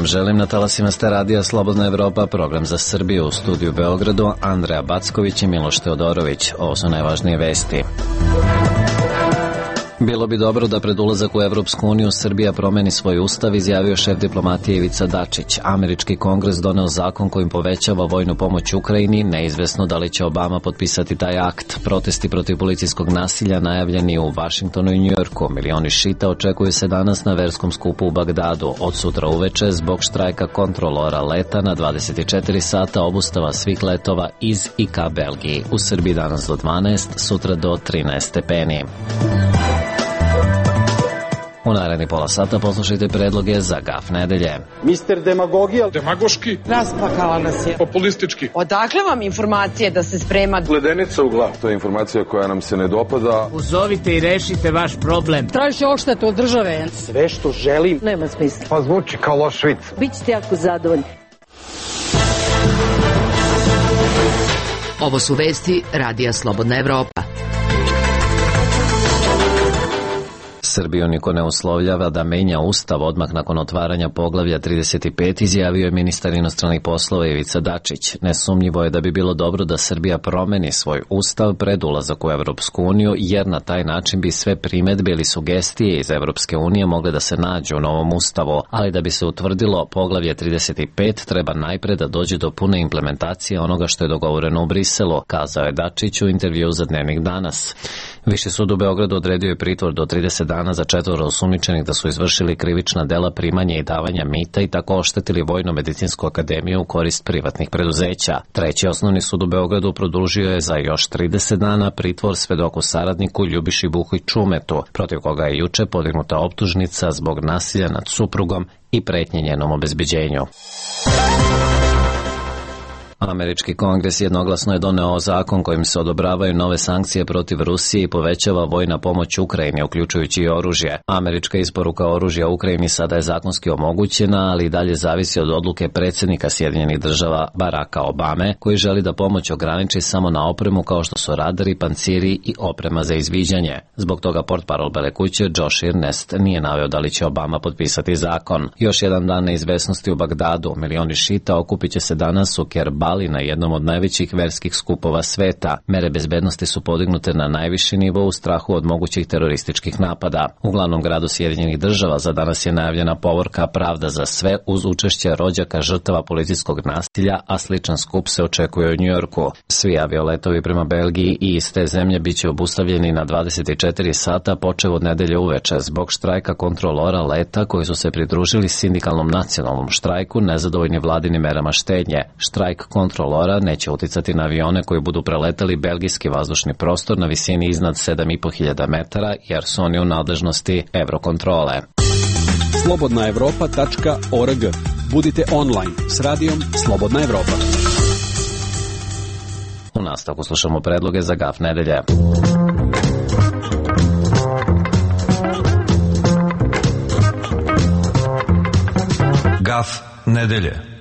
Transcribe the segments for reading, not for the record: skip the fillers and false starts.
vam želim na talasima ste radija Slobodna Evropa, program za Srbiju. U studiju Beogradu Andreja Backović i Miloš Teodorović. Ovo su najvažnije vesti. Bilo bi dobro da pred ulazak u Evropsku uniju Srbija promeni svoj ustav, izjavio šef diplomatije Ivica Dačić. Američki kongres doneo zakon kojim povećava vojnu pomoć Ukrajini, neizvesno da li će Obama potpisati taj akt. Protesti protiv policijskog nasilja najavljeni u Vašingtonu i Njujorku. Milioni šita očekuju se danas na verskom skupu u Bagdadu. Od sutra uveče zbog štrajka kontrolora leta na 24 sata obustava svih letova iz i ka Belgiji. U Srbiji danas do 12, sutra do 13 stepeni. U naredni pola sata poslušajte predloge za gaf nedelje. Mister Demagogija. Demagoški. Rasplakala nas je. Populistički. Odakle vam informacije da se sprema? Gledenica u glavu. To je informacija koja nam se ne dopada. Uzovite i rešite vaš problem. Tražite odštetu od države. Sve što želim. Nema smisla. Pa zvuči kao loš vic. Bićete jako zadovoljni. Ovo su vesti Radija Slobodna Evropa. Srbiju niko ne uslovljava da menja ustav odmah nakon otvaranja poglavlja 35, izjavio je ministar inostranih poslova Ivica Dačić. Nesumnjivo je da bi bilo dobro da Srbija promeni svoj ustav pred ulazak u Evropsku uniju, jer na taj način bi sve primedbe ili sugestije iz Evropske unije mogle da se nađu u novom ustavu, ali da bi se utvrdilo poglavlje 35 treba najpre da dođe do pune implementacije onoga što je dogovoreno u Briselu, kazao je Dačić u intervjuu za Dnevnik danas. Viši sud u Beogradu odredio je pritvor do 30 dana za 4 osumnjičenih da su izvršili krivična dela primanja i davanja mita i tako oštetili Vojno-medicinsku akademiju u korist privatnih preduzeća. Treći osnovni sud u Beogradu produžio je za još 30 dana pritvor svedoku saradniku Ljubiši Buhu i Čumetu, protiv koga je juče podignuta optužnica zbog nasilja nad suprugom i pretnje njenom obezbeđenju. Američki kongres jednoglasno je doneo zakon kojim se odobravaju nove sankcije protiv Rusije i povećava vojna pomoć Ukrajini, uključujući i oružje. Američka isporuka oružja Ukrajini sada je zakonski omogućena, ali i dalje zavisi od odluke predsjednika Sjedinjenih Država Baracka Obame, koji želi da pomoć ograniči samo na opremu kao što su radari, panciri i oprema za izviđanje. Zbog toga portparol Bele kuće Josh Earnest nije naveo da li će Obama potpisati zakon. Još jedan dan neizvesnosti u Bagdadu. Milioni šita okupit će se danas u Kerbali na jednom od najvećih verskih skupova sveta. Mere bezbednosti su podignute na najviši nivo u strahu od mogućih terorističkih napada. U glavnom gradu Sjedinjenih Država za danas je najavljena povorka Pravda za sve uz učešće rođaka žrtava policijskog nasilja, a sličan skup se očekuje u Njujorku. Svi avioletovi prema Belgiji i iz te zemlje biće obustavljeni na 24 sata počev od nedelje uveče zbog štrajka kontrolora leta koji su se pridružili sindikalnom nacionalnom štrajku nezadovoljni vladinim merama štednje. Štrajk kontrolora neće uticati na avione koji budu preletali belgijski vazdušni prostor na visini iznad 7.500 metara, jer su oni u nadležnosti Eurokontrole. slobodnaevropa.org. Budite online s radijom Slobodna Evropa. U nastavku slušamo predloge za gaf nedelje. Gaf nedelje.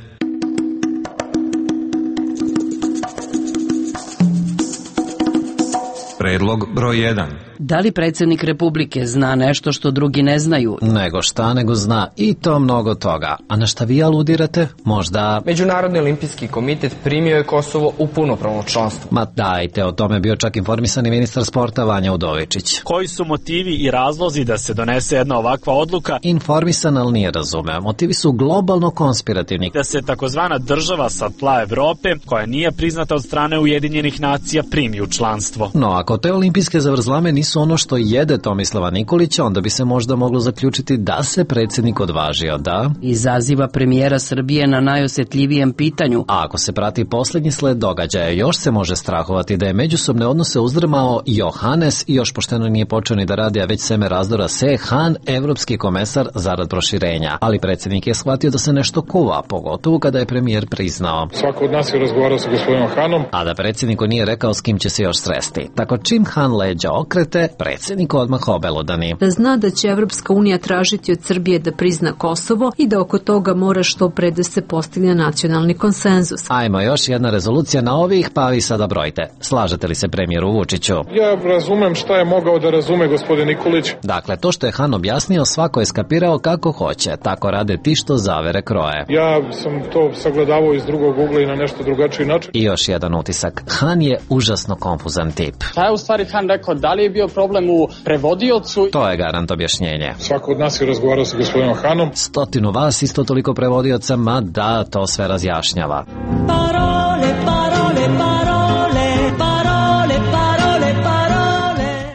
Predlog broj 1. Da li predsjednik Republike zna nešto što drugi ne znaju? Nego šta, nego zna i to mnogo toga. A na šta vi aludirate? Možda... Međunarodni olimpijski komitet primio je Kosovo u punopravno članstvo. Ma dajte, o tome je bio čak informisani ministar sporta Vanja Udovičić. Koji su motivi i razlozi da se donese jedna ovakva odluka? Informisan, ali nije razumeo. Motivi su globalno konspirativni. Da se takozvana država sa tla Evrope, koja nije priznata od strane Ujedinjenih nacija, primi u članstvo. No, ako te olimpijske zavrzlame nisu ono što jede Tomislava Nikolića, onda bi se možda moglo zaključiti da se predsjednik odvažio, da? Izaziva premijera Srbije na najosjetljivijem pitanju. A ako se prati posljednji sled događaja, još se može strahovati da je međusobne odnose uzdrmao Johannes i još pošteno nije počeo ni da radi, a već seme razdora Han, evropski komesar zarad proširenja. Ali predsjednik je shvatio da se nešto kuva, pogotovo kada je premijer priznao. Svako od nas je razgovarao sa gospodinom Hanom. A da predsjedniku nije rekao s kim će se još sresti. Tako čim Han leđa okrete, predsjednik odmah obelodani. Da zna da će Evropska unija tražiti od Srbije da prizna Kosovo i da oko toga mora što pre da se postigne nacionalni konsenzus. Ajmo, još jedna rezolucija na ovih, pa vi sada brojite. Slažete li se premijeru Vučiću? Ja razumem šta je mogao da razume gospodin Nikolić. Dakle, to što je Han objasnio, svako je skapirao kako hoće. Tako rade ti što zavere kroje. Ja sam to sagledavao iz drugog ugla i na nešto drugačiji način. I još jedan utisak. Han je užasno konfuzan tip. Šta je u stvari Han rekao? Da li je bio problem u prevodiocu? To je garant objašnjenje. Svako od nas je razgovarao sa gospodinom Hanom. 100 vas, isto toliko prevodioca, ma da, to sve razjašnjava. Parole, parole, parole, parole, parole, parole.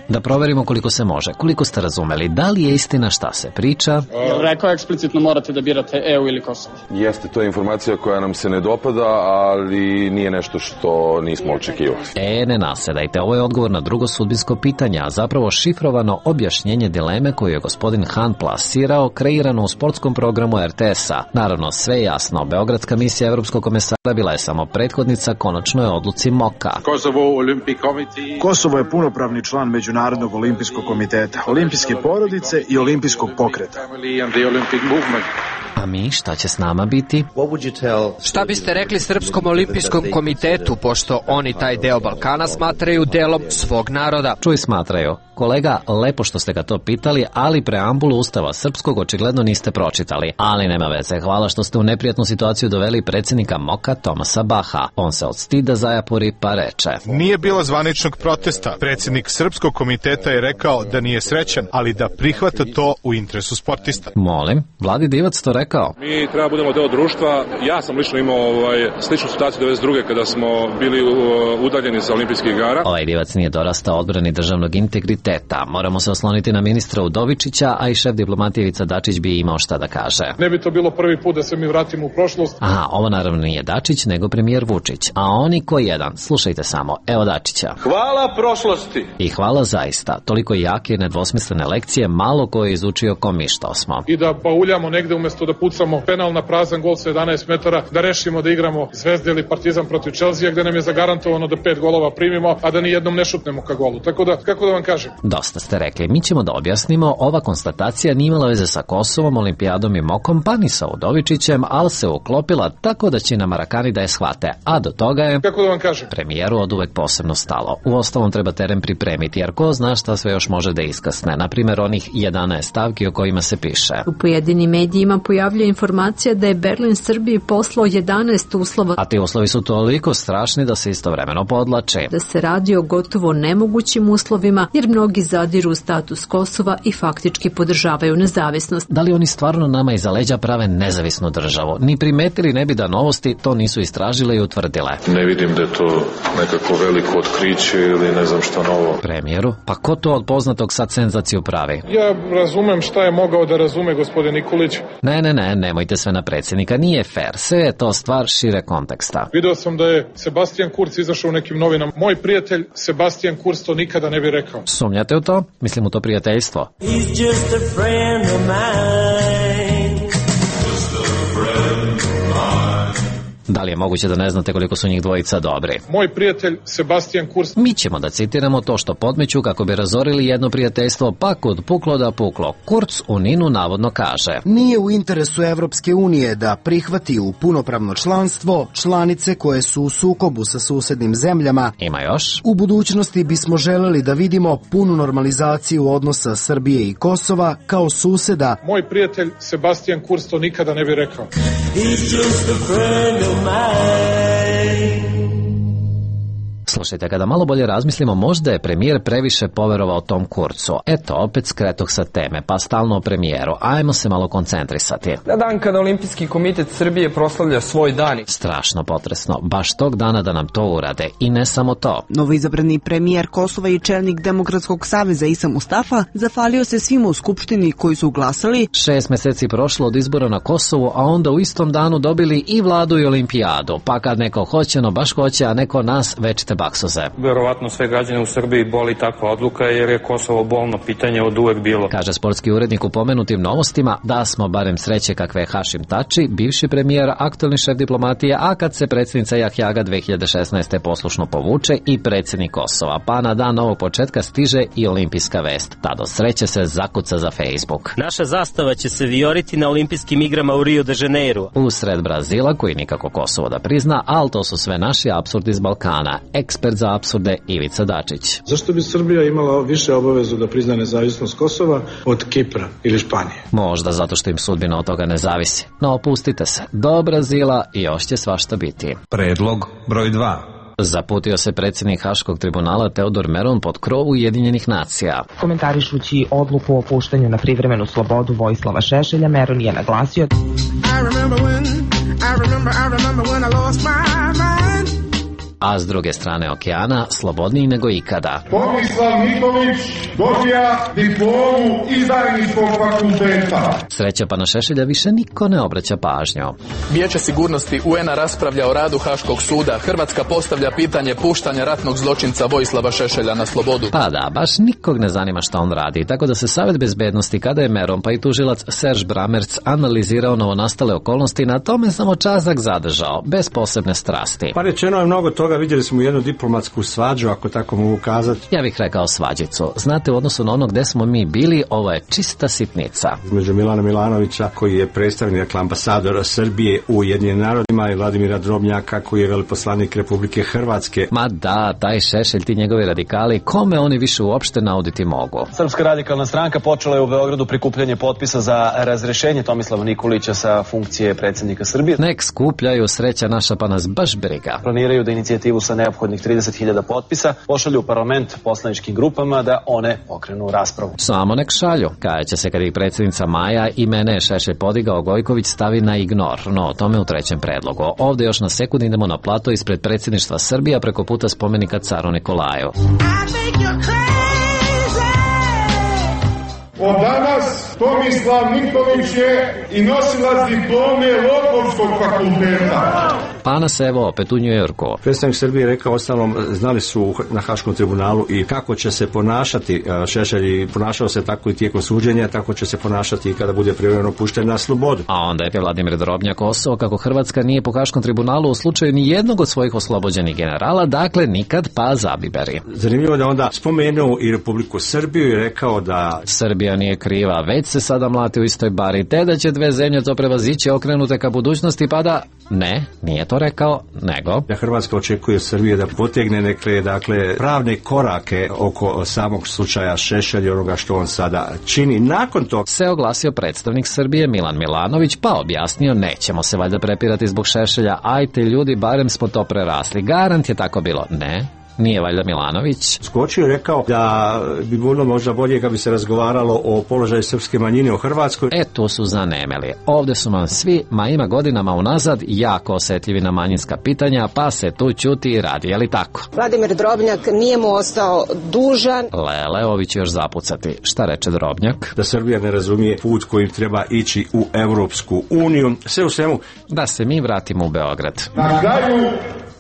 Da proverimo koliko se može. Koliko ste razumeli? Da li je istina šta se priča? Rekao eksplicitno morate da birate EU ili Kosovo. Jeste, to je informacija koja nam se ne dopada, ali nije nešto što nismo očekivali. Ne nasedajte. Ovo je odgovor na drugo sudbinsko pitanje, a zapravo šifrovano objašnjenje dileme koju je gospodin Han plasirao, kreirano u sportskom programu RTS-a. Naravno, sve jasno. Beogradska misija Evropskog komesara bila je samo prethodnica konačnoj odluci MOKA. Kosovo je punopravni član Međunarodnog olimpijskog komiteta, olimpijske porodice i olimpijskog pokreta. A mi, šta će s nama biti? Šta biste rekli Srpskom olimpijskom komitetu, pošto oni taj deo Balkana smatraju delom svog naroda? Čuj, smatraju. Kolega, lepo što ste ga to pitali, ali preambulu Ustava srpskog očigledno niste pročitali. Ali nema veze, hvala što ste u neprijatnu situaciju doveli predsjednika MOKA Tomasa Baha. On se od stida zajapuri pa reče. Nije bilo zvaničnog protesta. Predsjednik Srpskog komiteta je rekao da nije srećan, ali da prihvata to u interesu sportista. Molim, Vladi Divac to rekao. Mi treba budemo deo društva. Ja sam lično imao sličnu situaciju 92. kada smo bili udaljeni sa olimpijskih igara. Ovaj Divac nije dorastao odbrani državnog integriteta. Moramo se osloniti na ministra Udovičića, a i šef diplomatije Ivica Dačić bi imao šta da kaže. Ne bi to bilo prvi put da se mi vratimo u prošlost. Aha, ovo naravno nije Dačić, nego premijer Vučić. A oni ko jedan, slušajte samo, evo Dačića. Hvala prošlosti. I hvala zaista. Toliko jake i nedvosmislene lekcije, malo ko je izučio ko mi što smo. I da bauljamo negde umjesto da pucamo penal na prazan gol sa 11 metara, da rešimo da igramo Zvezda ili Partizan protiv Chelsea, gde nam je zagarantovano da 5 golova primimo, a da ni jednom ne šutnemo ka golu. Tako da, kako da vam kažem? Dosta ste rekli. Mi ćemo da objasnimo, ova konstatacija nije imala veze sa Kosovom, Olimpijadom i MOKom, pa ni sa Udovičićem, ali se uklopila tako da će na Marakani da je shvate. A do toga je, kako da vam kažem, premijeru od uvek posebno stalo. Uostalom treba teren pripremiti, jer ko zna šta sve još može da iskasne. Naprimjer, onih 11 stavki o kojima se piše. U pojedinim medijima pojavljuje informacija da je Berlin Srbiji poslao 11 uslova. A ti uslovi su toliko strašni da se istovremeno podlače. Da se radi o gotovo nemogućim uslovima, jer mnogi zadiru u status Kosova i faktički podržavaju nezavisnost. Da li oni stvarno nama iza leđa prave nezavisnu državu? Ni primetili ne bi da novosti to nisu istražile i utvrdile. Ne vidim da je to nekako veliko otkriće ili ne znam šta novo. Premijeru, pa ko to od poznatog sad senzaciju pravi? Ja razumem šta je mogao da razume gospodin Nikolić. Ne, nemojte sve na predsjednika, nije fair, sve je to stvar šire konteksta. Video sam da je Sebastian Kurz izašao u nekim novinama. Moj prijatelj Sebastian Kurz to nikada ne bi rekao. Sumnjate u to? Mislim u to prijateljstvo. He's just a friend of mine. Da li je moguće da ne znate koliko su njih dvojica dobri? Moj prijatelj Sebastian Kurz. Mi ćemo da citiramo to što podmeću kako bi razorili jedno prijateljstvo, pa kud puklo da puklo. Kurz u Ninu navodno kaže: nije u interesu Evropske unije da prihvati u punopravno članstvo članice koje su u sukobu sa susednim zemljama. Ima još? U budućnosti bismo želeli da vidimo punu normalizaciju odnosa Srbije i Kosova kao suseda. Moj prijatelj Sebastian Kurz to nikada ne bi rekao. He's just a friend of mine. Slušajte, kada malo bolje razmislimo, možda je premijer previše poverovao tom Kurcu. Eto, opet skretoh sa teme, pa stalno o premijeru. Ajmo se malo koncentrisati. Na dan kada Olimpijski komitet Srbije proslavlja svoj dan. Strašno potresno, baš tog dana da nam to urade. I ne samo to. Novoizabrani premijer Kosova i čelnik Demokratskog saveza Isa Mustafa zahvalio se svima u Skupštini koji su glasali. 6 meseci prošlo od izbora na Kosovu, a onda u istom danu dobili i vladu i olimpijadu. Pa kad neko hoće, no baš hoće, a neko nas, već te bak laksuze. Verovatno sve građane u Srbiji boli takva odluka jer je Kosovo bolno pitanje od uvek bilo. Kaže sportski urednik u pomenutim novostima da smo barem sreće kakve je Hašim Tači, bivši premijer, aktualni šef diplomatije, a kad se predsjednica Jahjaga 2016. poslušno povuče i predsjednik Kosova, pa na dan novog početka stiže i olimpijska vest. Ta do sreće se zakuca za Facebook. Naša zastava će se vijoriti na olimpijskim igrama u Rio de Janeiro. Usred Brazila, koji nikako Kosovo da prizna, ali to su sve naši apsurdi iz Balkana. Ekspert za apsurde Ivica Dačić. Zašto bi Srbija imala više obavezu da prizna nezavisnost Kosova od Kipra ili Španije? Možda zato što im sudbina od toga ne zavisi. No opustite se, do Brazila još će svašta biti. Predlog broj 2. Zaputio se predsjednik Haškog tribunala Teodor Meron pod krov Ujedinjenih nacija. Komentarišući odluku o puštanju na privremenu slobodu Vojislava Šešelja, Meron je naglasio: A s druge strane okeana, slobodniji nego ikada. Tomislav Nikolić dobija diplomu izdajničkog fakulteta. Sreća pa na Šešelja više niko ne obraća pažnju. Vijeće sigurnosti UN-a raspravlja o radu Haškog suda. Hrvatska postavlja pitanje puštanja ratnog zločinca Vojislava Šešelja na slobodu. Pa da, baš nikog ne zanima šta on radi, tako da se Savjet bezbednosti, kada je Meron pa i tužilac Serž Bramerc analizirao novonastale okolnosti, na tome samo čazak zadržao, bez posebne strasti. Pa rečeno je mnogo toga, vidjeli smo jednu diplomatsku svađu, ako tako mogu kazati. Ja bih rekao svađicu. Znate, u odnosu na ono gde smo mi bili, ovo je čista sitnica. Između Milana Milanovića, koji je predstavnik, dakle, ambasadora Srbije u Ujedinjenim narodima, i Vladimira Drobnjaka, koji je veleposlanik Republike Hrvatske. Ma da, taj Šešelj, ti njegovi radikali, kome oni više uopšte nauditi mogu? Srpska radikalna stranka počela je u Beogradu prikupljanje potpisa za razrešenje Tomislava Nikolića sa funkcije predsjednika Srbije. Nek skupljaju, sreća naša pa nas baš briga. Planiraju da inicijativu sa neophodnih 30.000 potpisa pošalju u parlament poslaničkim grupama da one pokrenu raspravu. Samo nek šalju. Kajaće se kad ih predsjednica Maja i mene je Šešelj podigao, Gojković stavi na ignor. No, o tome u trećem predlogu. Ovdje još na sekund idemo na plato ispred predsjedništva Srbija preko puta spomenika caru Nikolaju. Od danas Tomislav Nikolić je i nosilac diplome Lopovskog fakulteta. Pa nas evo opet u Njujorku. Predstavnik Srbije rekao, ostalom, znali su na Haškom tribunalu i kako će se ponašati Šešelj, i ponašao se tako i tijekom suđenja, tako će se ponašati i kada bude privremeno pušten na slobodu. A onda je Vladimir Drobnjak osao kako Hrvatska nije po Haškom tribunalu u slučaju ni jednog od svojih oslobođenih generala, dakle nikad pa zabiberi. Zanimljivo da onda spomenuo i Republiku Srbiju i rekao da Srbija nije kriva, već se sada mlati u istoj bari, te da će dve zemlje to prevazići okrenute ka budućnosti, pa da ne, nije to rekao, nego da Hrvatska očekuje Srbije da potegne neke, dakle, pravne korake oko samog slučaja Šešelj i onoga što on sada čini. Nakon toga se oglasio predstavnik Srbije Milan Milanović, pa objasnio: nećemo se valjda prepirati zbog Šešelja, ajte ljudi, barem smo to prerasli. Garant je tako bilo. Ne, nije valjda Milanović skočio i rekao da bi bilo možda bolje kad bi se razgovaralo o položaju srpske manjine u Hrvatskoj. Tu su zanemeli. Ovdje su nam svi, ima godinama unazad, jako osjetljivi na manjinska pitanja, pa se tu ćuti i radi, je li tako? Vladimir Drobnjak nije mu ostao dužan. Lele, ovi će još zapucati. Šta reče Drobnjak? Da Srbija ne razumije put kojim treba ići u Europsku uniju. Sve u svemu da se mi vratimo u Beograd. Na kraju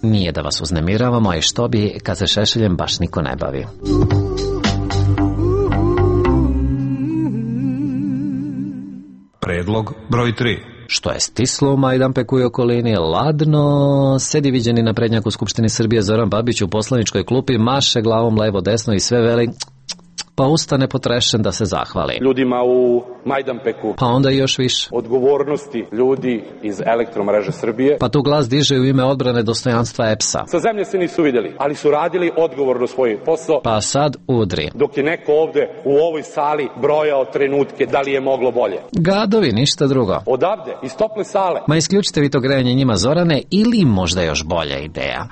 nije da vas uznemiravamo, a i što bi kad se Šešeljem baš niko ne bavi. Predlog broj 3. Što je stislo u Majdanpeku i okolini, ladno sedi viđeni naprednjak u Skupštini Srbije Zoran Babić u poslaničkoj klupi, maše glavom levo desno i sve veli, pa ustane potrešen da se zahvali ljudima u Majdanpeku, pa onda i još više odgovornosti ljudi iz Elektromreže Srbije, pa tu glas diže u ime odbrane dostojanstva EPS-a. Sa zemlje se nisu vidjeli, ali su radili odgovorno svoj posao, pa sad udri. Dok je neko ovde u ovoj sali brojao trenutke da li je moglo bolje. Gadovi, ništa drugo. Odavde, iz tople sale. Ma isključite vi to grejanje njima, Zorane, ili možda još bolja ideja.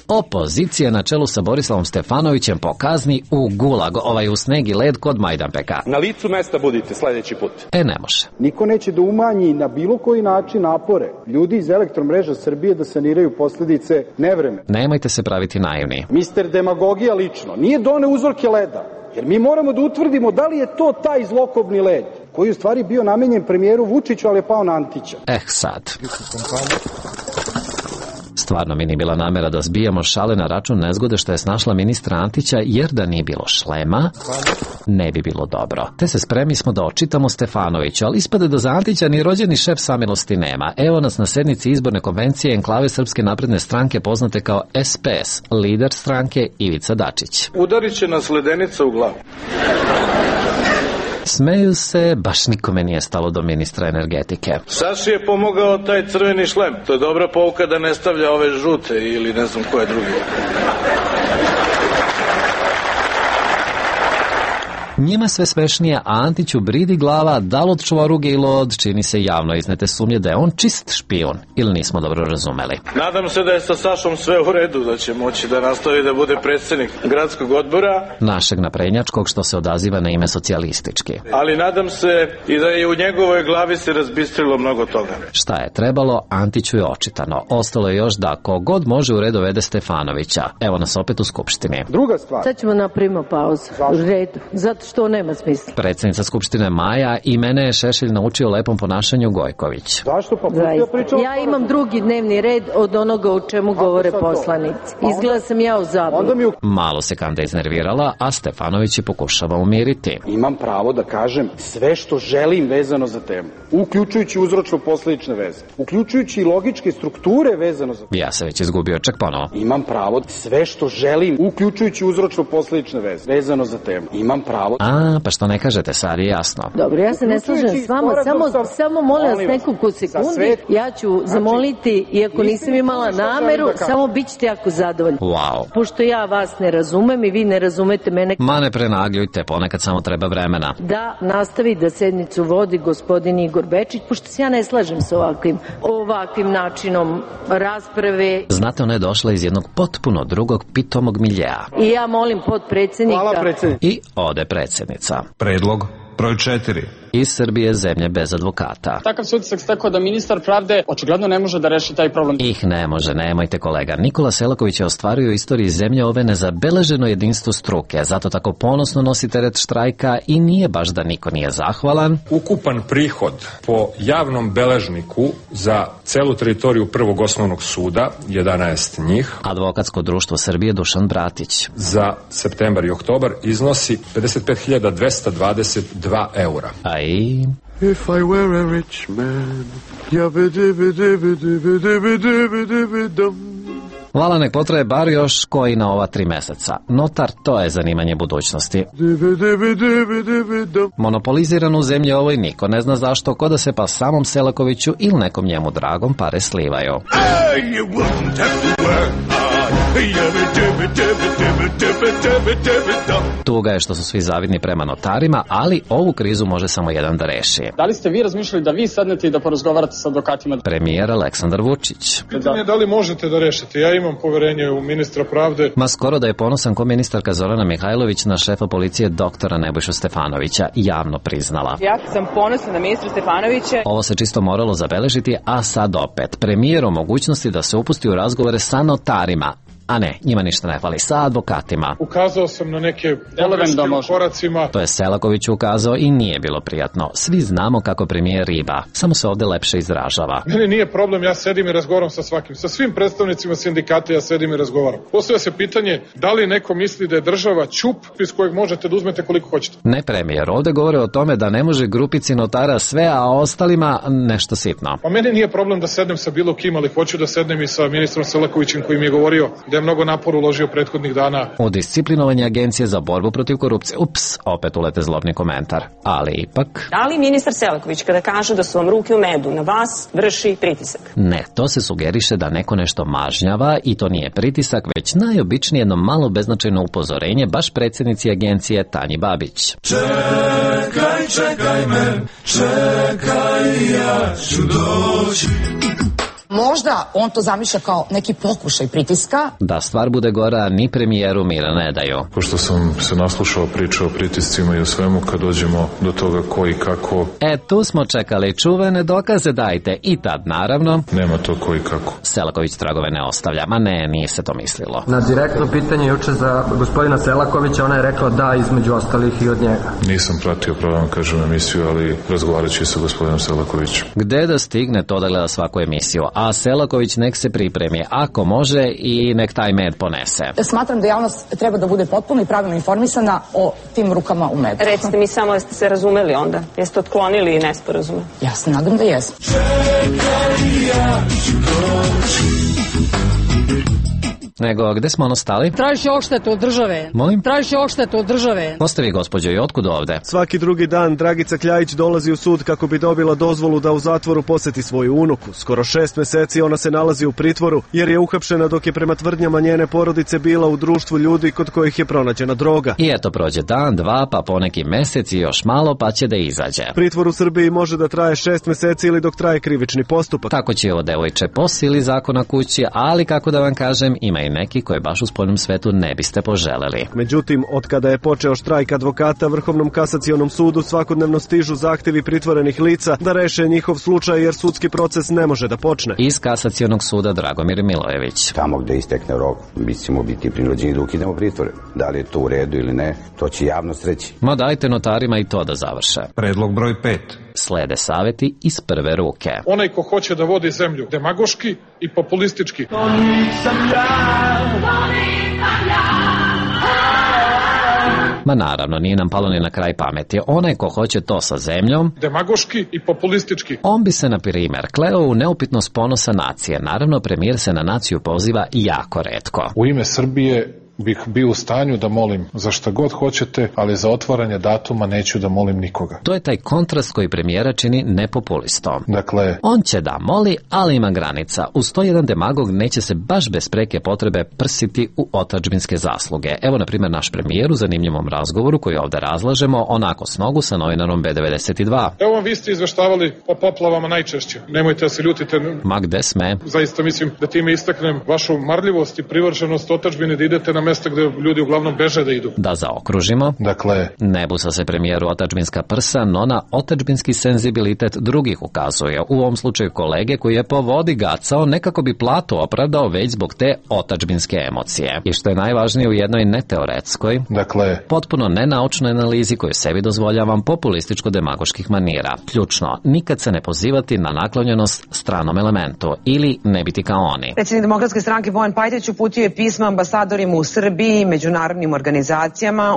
Opozicija na čelu sa Borislavom Stefanovićem po kazni u gulag, u sneg i led kod Majdanpeka. Na licu mesta budite sljedeći put. Ne može. Niko neće da umanji na bilo koji način napore ljudi iz Elektromreža Srbije da saniraju posljedice nevremena. Nemojte se praviti naivni. Mister Demagogija lično nije doneo uzorke leda, jer mi moramo da utvrdimo da li je to taj zlokobni led koji je u stvari bio namenjen premijeru Vučiću, ali je pao na Antića. Sad. Stvarno mi nije bila namera da zbijamo šale na račun nezgode što je snašla ministra Antića, jer da nije bilo šlema, ne bi bilo dobro. Te se spremi smo da očitamo Stefanovića, ali ispade da za Antića ni rođeni šef samilosti nema. Evo nas na sednici izborne konvencije enklave Srpske napredne stranke poznate kao SPS, lider stranke Ivica Dačić. Udarit će nas ledenica u glavu. Smeju se, baš nikome nije stalo do ministra energetike. Saši je pomogao taj crveni šlem. To je dobra pouka da ne stavlja ove žute ili ne znam koje druge. Njima sve smešnije, a Antiću bridi glava da li od čvoruge ili od, čini se javno iznete sumnje da je on čist špijun, ili nismo dobro razumeli. Nadam se da je sa Sašom sve u redu, da će moći da nastavi da bude predsjednik gradskog odbora. Našeg naprednjačkog što se odaziva na ime socijalistički. Ali nadam se i da je u njegovoj glavi se razbistrilo mnogo toga. Šta je trebalo, Antiću je očitano. Ostalo je još da kogod može u red dovede Stefanovića. Evo nas opet u Skupštini. Druga stvar. Sad ćemo napravimo pauzu. U redu. Zato što nema smisla. Predsjednica Skupštine Maja i mene je Šešelj naučio lepom ponašanju Gojković. Zašto pa? Ja imam drugi dnevni red od onoga o čemu govore poslanici. Izgleda sam ja u zabludu. Malo se Kanda iznervirala, a Stefanović je pokušava umiriti. Imam pravo da kažem sve što želim vezano za temu, uključujući uzročno-posledične veze, uključujući i logičke strukture vezano za temu. Ja se već izgubio, čak ponovo. Imam pravo sve što želim, uključujući uzročno-posledične veze vezano za temu. Imam pravo. A, pa što ne kažete, sad je jasno. Dobro, ja se ne slažem s vama, samo molim vas nekoliko sekundi, ja ću zamoliti, iako nisam imala nameru, samo bit ćete jako zadovoljni. Wow. Pošto ja vas ne razumem i vi ne razumete mene. Ma ne prenagljujte, ponekad samo treba vremena. Da nastavi da sednicu vodi gospodin Igor Bečić, pošto se ja ne slažem sa ovakvim načinom rasprave. Znate, ona je došla iz jednog potpuno drugog pitomog miljea. I ja molim potpredsjednika. Hvala predsjednik. I ode predsjednica. Predlog broj 4. Iz Srbije zemlje bez advokata. Takav se utisak stekao da ministar pravde očigledno ne može da reši taj problem. Ne može, nemojte kolega. Nikola Selaković je ostvario u istoriji zemlje ove nezabeleženo jedinstvo struke, zato tako ponosno nosi teret štrajka i nije baš da niko nije zahvalan. Ukupan prihod po javnom beležniku za celu teritoriju prvog osnovnog suda, 11 njih. Advokatsko društvo Srbije Dušan Bratić. Za septembar i oktobar iznosi 55.222 eura. If I were a rich man, Vala nek potraje bar još koji na ova 3 meseca. Notar, to je zanimanje budućnosti. Monopoliziran u zemlji ovoj niko ne zna zašto, ko da se pa samom Selakoviću ili nekom njemu dragom pare slivaju. Tuga je što su svi zavidni prema notarima, ali ovu krizu može samo jedan da reši. Da li ste vi razmišljali da vi sednete i da porazgovarate sa advokatima? Premijer Aleksandar Vučić. Pitanje je da li možete da rešite. Ja imam poverenje u ministra pravde. Ma skoro da je ponosan ko ministarka Zorana Mihajlović na šefa policije doktora Nebojšu Stefanovića javno priznala. Ja sam ponosna na ministra Stefanovića. Ovo se čisto moralo zabeležiti, a sad opet. Premijer o mogućnosti da se upusti u razgovore sa notarima. A ne, njima ništa ne fali, sa advokatima. Ukazao sam na neke pogreške u koracima. To je Selaković ukazao i nije bilo prijatno. Svi znamo kako premijer riba, samo se ovde lepše izražava. Meni nije problem, ja sedim i razgovaram sa svakim. Sa svim predstavnicima sindikata ja sedim i razgovaram. Postavlja se pitanje da li neko misli da je država ćup iz kojeg možete da uzmete koliko hoćete. Ne premijer, ovde govore o tome da ne može grupici notara sve, a ostalima nešto sitno. Pa meni nije problem da sednem sa bilo kim, ali hoću da sednem i sa ministrom Selakovićem koji mi je govorio da je mnogo napora uložio prethodnih dana. U disciplinovanje Agencije za borbu protiv korupcije. Ups, opet ulete zlobni komentar. Ali ipak... Da li ministar Selaković kada kaže da su vam ruke u medu na vas vrši pritisak? Ne, to se sugeriše da neko nešto mažnjava i to nije pritisak, već najobičnije jedno malo beznačajno upozorenje baš predsjednici agencije Tanji Babić. Čekaj me, čekaj, ja ću doći. Možda on to zamišlja kao neki pokušaj pritiska. Da stvar bude gora, ni premijeru mira ne daju. Pošto sam se naslušao priče o pritiscima i o svemu, kad dođemo do toga ko i kako... Tu smo čekali, čuvene dokaze dajte. I tad, naravno... Nema to ko i kako. Selaković tragove ne ostavlja. Ma ne, nije se to mislilo. Na direktno pitanje juče za gospodina Selakovića, ona je rekla da, između ostalih i od njega. Nisam pratio, pravo vam kažem, emisiju, ali razgovarat ću sa gospodinom Selakovićem. Gde da stigne to da gleda svaku emisiju? a Selaković nek se pripremi, ako može, i nek taj med ponese. Smatram da javnost treba da bude potpuno i pravilno informisana o tim rukama u medu. Recite mi samo, jeste se razumeli onda? Jeste otklonili nesporazume? Ja se nadam da jesam. Nego, gde smo stali? Tražiš odštetu od države. Molim? Tražiš odštetu od države. Ko ste vi, gospođo, i otkud ovde? Svaki drugi dan Dragica Kljajić dolazi u sud kako bi dobila dozvolu da u zatvoru poseti svoju unuku. Skoro 6 meseci ona se nalazi u pritvoru jer je uhapšena dok je prema tvrdnjama njene porodice bila u društvu ljudi kod kojih je pronađena droga. I eto, prođe dan, dva, pa poneki mesec i još malo, pa će da izađe. Pritvor u Srbiji može da traje 6 meseci ili dok traje krivični postupak. Tako će ovo devojče po sili zakona kući, ali kako da vam kažem, ima i neki koje baš u spoljnom svetu ne biste poželeli. Međutim, od kada je počeo štrajk advokata, Vrhovnom kasacionom sudu svakodnevno stižu zahtevi pritvorenih lica da reše njihov slučaj jer sudski proces ne može da počne. Iz kasacionog suda Dragomir Milojević. Tamo gde istekne rok, mi ćemo biti prinuđeni da ukidemo pritvore. Da li je to u redu ili ne, to će javnost reći. Ma dajte notarima i to da završe. Predlog broj 5. Slede saveti iz prve ruke. Onaj ko hoće da vodi zemlju demagoški i populistički. To nisam ja. Ma naravno, nije nam palo ni na kraj pameti. Onaj ko hoće to sa zemljom, demagoški i populistički. On bi se, na primer, kleo u neupitnost ponosa nacije. Naravno, premijer se na naciju poziva jako retko. U ime Srbije bih bio u stanju da molim za šta god hoćete, ali za otvaranje datuma neću da molim nikoga. To je taj kontrast koji premijera čini nepopulistom. Dakle, on će da moli, ali ima granica. Uz to jedan demagog neće se baš bez preke potrebe prsiti u otadžbinske zasluge. Evo, na primjer, naš premijer u zanimljivom razgovoru koji ovde razlažemo, onako s nogu sa novinarom B92. Evo vam, vi ste izveštavali o poplavama najčešće. Nemojte da se ljutite. Ma gde sme? Zaista mislim da time istaknem vašu marljivost i privrženost otadžbine da idete na mesta gde ljudi uglavnom beže da idu. Da zaokružimo. Dakle, ne busa se premijeru otadžbinska prsa, no na otadžbinski senzibilitet drugih ukazuje. U ovom slučaju kolege koji je po vodi gacao nekako bi platu opravdao već zbog te otadžbinske emocije. I što je najvažnije u jednoj neteoretskoj, dakle, potpuno nenaučnoj analizi koju sebi dozvoljavam populističko-demagoških manira. Ključno, nikad se ne pozivati na naklonjenost stranom elementu ili ne biti kao oni. Predsjednik Demokratske stranke Bojan Pajtić uputio je pisma ambasadorima u Srbiji, međunarodnim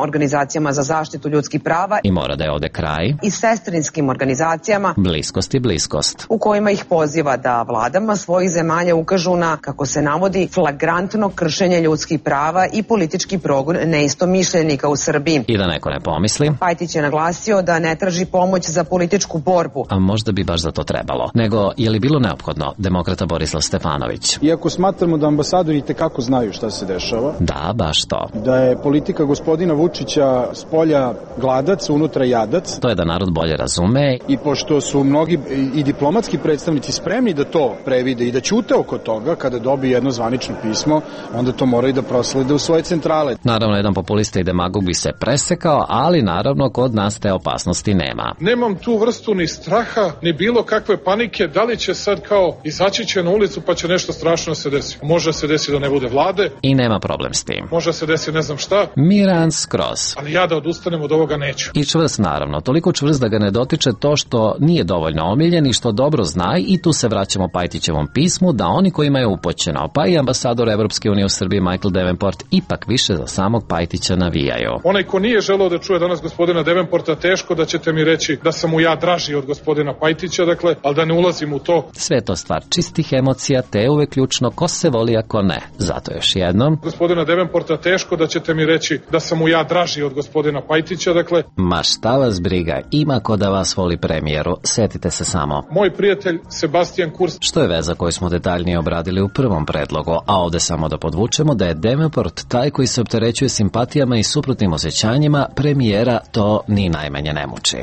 organizacijama za zaštitu ljudskih prava i mora da je ovde kraj i sestrinskim organizacijama bliskost u kojima ih poziva da vladama svojih zemalja ukažu na, kako se navodi, flagrantno kršenje ljudskih prava i politički progon neistomišljenika u Srbiji. I da neko ne pomisli, Pajtić je naglasio da ne traži pomoć za političku borbu. A možda bi baš za to trebalo. Nego, je li bilo neophodno, demokrata Borislav Stefanović? Iako smatramo da ambasadori itekako znaju šta se dešava, da, baš to. Da je politika gospodina Vučića spolja gladac, unutra jadac. To je da narod bolje razume. I pošto su mnogi i diplomatski predstavnici spremni da to previde i da ćute oko toga, kada dobije jedno zvanično pismo, onda to moraju da proslede u svoje centrale. Naravno, jedan populista i demagog bi se presekao, ali naravno kod nas te opasnosti nema. Nemam tu vrstu ni straha, ni bilo kakve panike, da li će sad kao izaći će na ulicu pa će nešto strašno se desi. Može se desi da ne bude vlade. I nema problem s tim. Može se desi ne znam šta. Miran skroz. Ali ja da odustanem od ovoga neću. I čvrst naravno, toliko čvrst da ga ne dotiče to što nije dovoljno omiljen i što dobro zna, i tu se vraćamo Pajtićevom pismu da oni kojima je upoćeno, pa i ambasador Evropske unije u Srbiji Michael Davenport ipak više za samog Pajtića navijaju. Onaj ko nije želeo da čuje danas gospodina Davenporta, teško da ćete mi reći da sam mu ja draži od gospodina Pajtića, dakle, ali da ne ulazim u to. Sve to stvar čistih emocija, te je uvek ključno ko se voli ako ne. Zato još jednom, gospodina Davenporta, teško da ćete mi reći da sam mu ja draži od gospodina Pajtića, dakle. Ma šta vas briga, ima ko da vas voli premijeru, setite se samo. Moj prijatelj Sebastian Kurz. Što je veza koju smo detaljnije obradili u prvom predlogu, a ovde samo da podvučemo da je Davenport taj koji se opterećuje simpatijama i suprotnim osjećanjima, premijera to ni najmanje ne muči.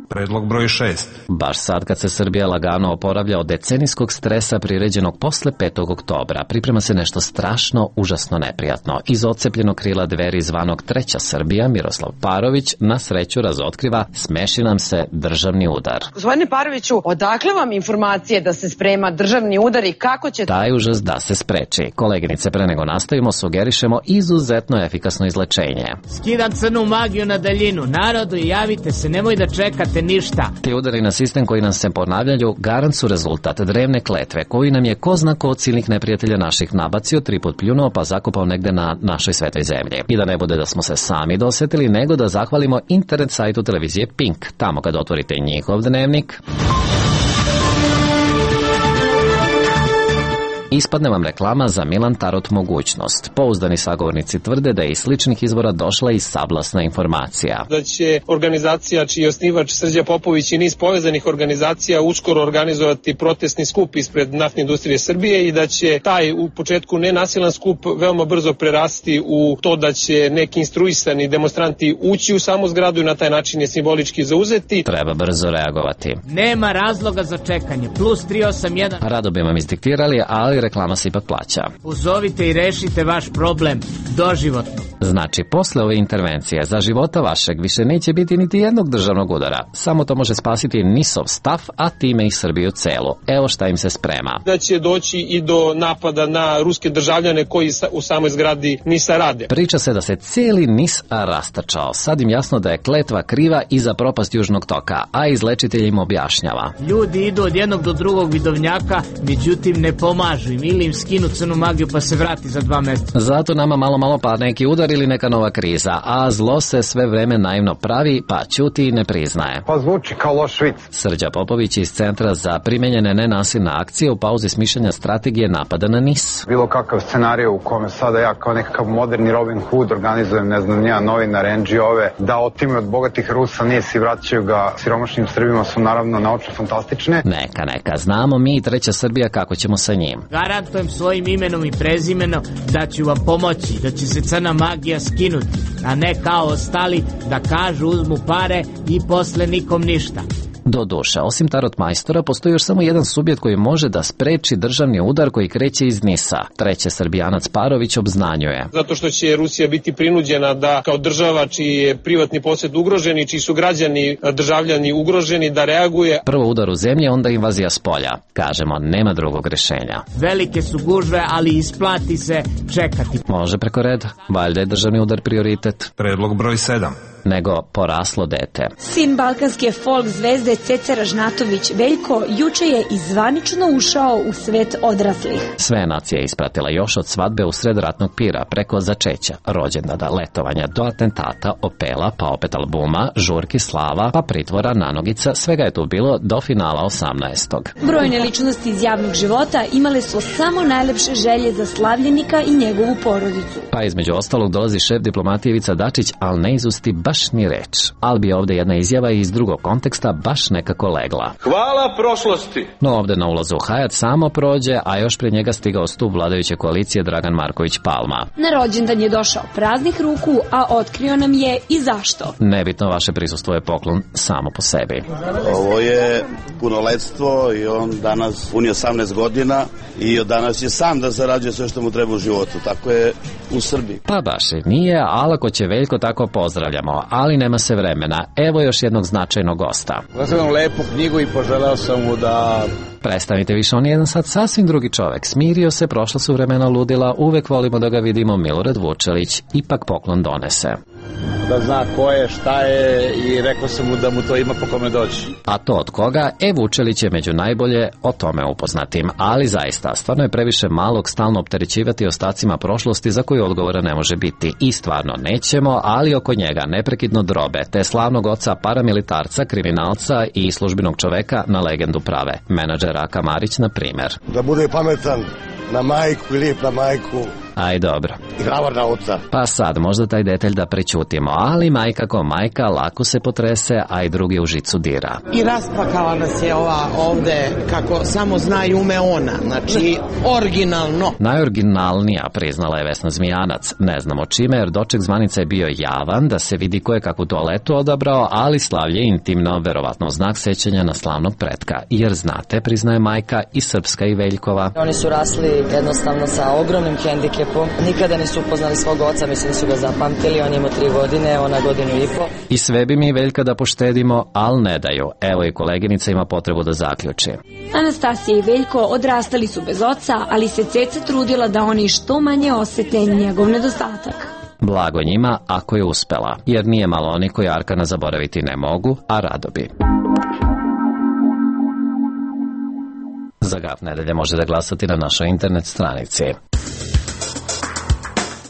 Predlog broj 6. Baš sad kad se Srbija lagano oporavlja od decenijskog stresa priređenog posle 5. oktobra, priprema se nešto strašno, užasno neprijatno. Iz odcepljenog krila Dveri zvanog Treća Srbija, Miroslav Parović na sreću razotkriva smeši nam se državni udar. Gospodine Paroviću, odakle vam informacije da se sprema državni udar i kako će taj užas da se spreči? Koleginice, pre nego nastavimo, sugerišemo izuzetno efikasno izlečenje. Skidam crnu magiju na daljinu. Narodu, javite se, nemoj da čekate. radite ništa. Ti udari na sistem koji nam se ponavljaju garant su rezultat drevne kletve koju nam je ko zna ko od silnih neprijatelja naših nabacio, 3 put pljunuo pa zakopao negde na našoj svetoj zemlji. I da ne bude da smo se sami dosetili, nego da zahvalimo internet sajtu televizije Pink. Tamo kad otvorite njihov dnevnik, ispadne vam reklama za Milan Tarot mogućnost. Pouzdani sagovornici tvrde da je iz sličnih izvora došla i sablasna informacija. Da će organizacija čiji je osnivač Srđa Popović i niz povezanih organizacija uskoro organizovati protestni skup ispred naftne industrije Srbije i da će taj u početku nenasilan skup veoma brzo prerasti u to da će neki instruisani demonstranti ući u samu zgradu i na taj način je simbolički zauzeti. Treba brzo reagovati. Nema razloga za čekanje. Plus 381. Rado bi vam izdiktirali, ali reklama se ipak plaća. Pozovite i rešite vaš problem doživotno. Znači, posle ove intervencije za života vašeg više neće biti niti jednog državnog udara. Samo to može spasiti NIS-ov staf, a time i Srbiju celu. Evo šta im se sprema. Da će doći i do napada na ruske državljane koji u samoj zgradi NIS-a rade. Priča se da se cijeli NIS rastačao. Sad im jasno da je kletva kriva i za propast Južnog toka, a izlečitelj im objašnjava. Ljudi idu od jednog do drugog vidovnjaka, međutim ne pomažu im ili im skinu crnu magiju pa se vrati za 2 meseca. Zato nama malo pa neki udar ili neka nova kriza, a zlo se sve vreme naivno pravi, pa ćuti i ne priznaje. Pa zvuči kao loš vic. Srđa Popović iz Centra za primenjene nenasilne akcije u pauzi smišljanja strategije napada na NIS. Bilo kakav scenariju u kome sada ja kao nekakav moderni Robin Hood organizujem, ne znam, ja novinar, NGO-ove, da otime od bogatih Rusa NIS i vraćaju ga siromašnim Srbima su naravno naučno fantastične. Neka, znamo mi i Treća Srbija kako ćemo sa njim. Garantujem svojim imenom i prezimenom da ću vam pomoći, da će se crna magija skinuti, a ne kao ostali da kažu uzmu pare i posle nikom ništa. Do duše, osim tarot majstora, postoji još samo jedan subjekt koji može da spreči državni udar koji kreće iz NIS-a. Treće Srbijanac Parović obznanjuje. Zato što će Rusija biti prinuđena da kao država čiji je privatni posjed ugrožen i čiji su građani, državljani ugroženi, da reaguje. Prvo udar u zemlji, onda invazija s polja. Kažemo, nema drugog rešenja. Velike su gužve, ali isplati se čekati. Može preko reda, valjda je državni udar prioritet. Predlog broj 7. Nego poraslo dete. Sin balkanske folk zvezde Ceca Ražnatović Veljko juče je izvanično ušao u svet odraslih. Sve nacije je ispratila još od svadbe u sred ratnog pira, preko začeća, rođendana, letovanja, do atentata, opela, pa opet albuma, žurki, slava, pa pritvora, nanogica, svega je tu bilo do finala 18. Brojne ličnosti iz javnog života imale su samo najlepše želje za slavljenika i njegovu porodicu. Pa između ostalog dolazi šef diplomatije Ivica Dačić, ali ne izusti baš ni reč. Ali bi ovde jedna izjava iz drugog konteksta baš nekako legla. Hvala prošlosti! No ovde na ulazu u Hajat samo prođe, a još pred njega stigao stup vladajuće koalicije Dragan Marković Palma. Na rođendan je došao praznih ruku, a otkrio nam je i zašto. Nebitno, vaše prisustvo je poklon samo po sebi. Ovo je punoletstvo i on danas puni 18 godina i od danas je sam da zarađuje sve što mu treba u životu. Tako je u Srbiji. Pa baš i nije, ali ako će Veljko tako pozdravljamo, ali nema se vremena. Evo još jednog značajnog gosta. Gledam lepu knjigu i poželeo sam mu da... Prestanite više, on je jedan sad sasvim drugi čovek. Smirio se, prošla su vremena ludila, uvek volimo da ga vidimo. Milorad Vučelić ipak poklon donese. Da zna ko je, šta je i rekao sam mu da mu to ima po kome doći. A to od koga? Vučelić je među najbolje o tome upoznatim, ali zaista, stvarno je previše malog stalno opterećivati ostacima prošlosti za koju odgovora ne može biti. I stvarno nećemo, ali oko njega neprekidno drobe, te slavnog oca paramilitarca, kriminalca i službenog čoveka na legendu prave. Menadžer Raka Marić, na primer. Da bude pametan na majku i lijep na majku. Aj dobro. I hrabar na oca. Pa sad, možda taj detalj da prećutimo, ali majka ko majka lako se potrese, a i drugi u žicu dira. I rasplakala nas je ova ovde, kako samo zna i ume ona, znači originalno. Najoriginalnija, priznala je Vesna Zmijanac. Ne znamo čime, jer doček zvanica je bio javan, da se vidi ko je kakvu toaletu odabrao, ali slavlje intimno, verovatno znak sećanja na slavnog pretka. Jer znate, priznaje majka, i srpska i Veljkova. Oni su rasli jednostavno sa ogromnim hendikepom. Nikada nisu upoznali svog oca, mislim da su ga zapamtili, on je imao 3 godine, ona 1,5 godinu. I sve bi mi Veljka da poštedimo, ali ne daju. Evo i koleginica ima potrebu da zaključi. Anastasija i Veljko odrastali su bez oca, ali se Ceca trudila da oni što manje osete njegov nedostatak. Blago njima ako je uspela, jer nije malo oni koji Arkana zaboraviti ne mogu, a rado bi. Za Gaf nedelje možete glasati na našoj internet stranici.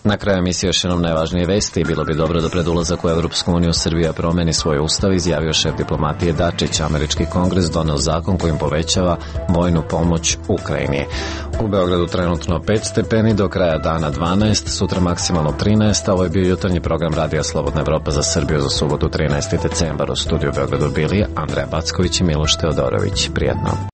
Na kraju emisije još jednom najvažnije vesti. Bilo bi dobro da pred ulazak u Evropsku uniju Srbija promeni svoj ustav, izjavio šef diplomatije Dačić. Američki kongres doneo zakon kojim povećava vojnu pomoć Ukrajini. U Beogradu trenutno 5 stepeni, do kraja dana 12, sutra maksimalno 13, a ovo je bio jutarnji program Radija Slobodna Evropa za Srbiju za subotu 13. decembar. U studiju u Beogradu bili Andreja Backović i Miloš Teodorović. Prijetno.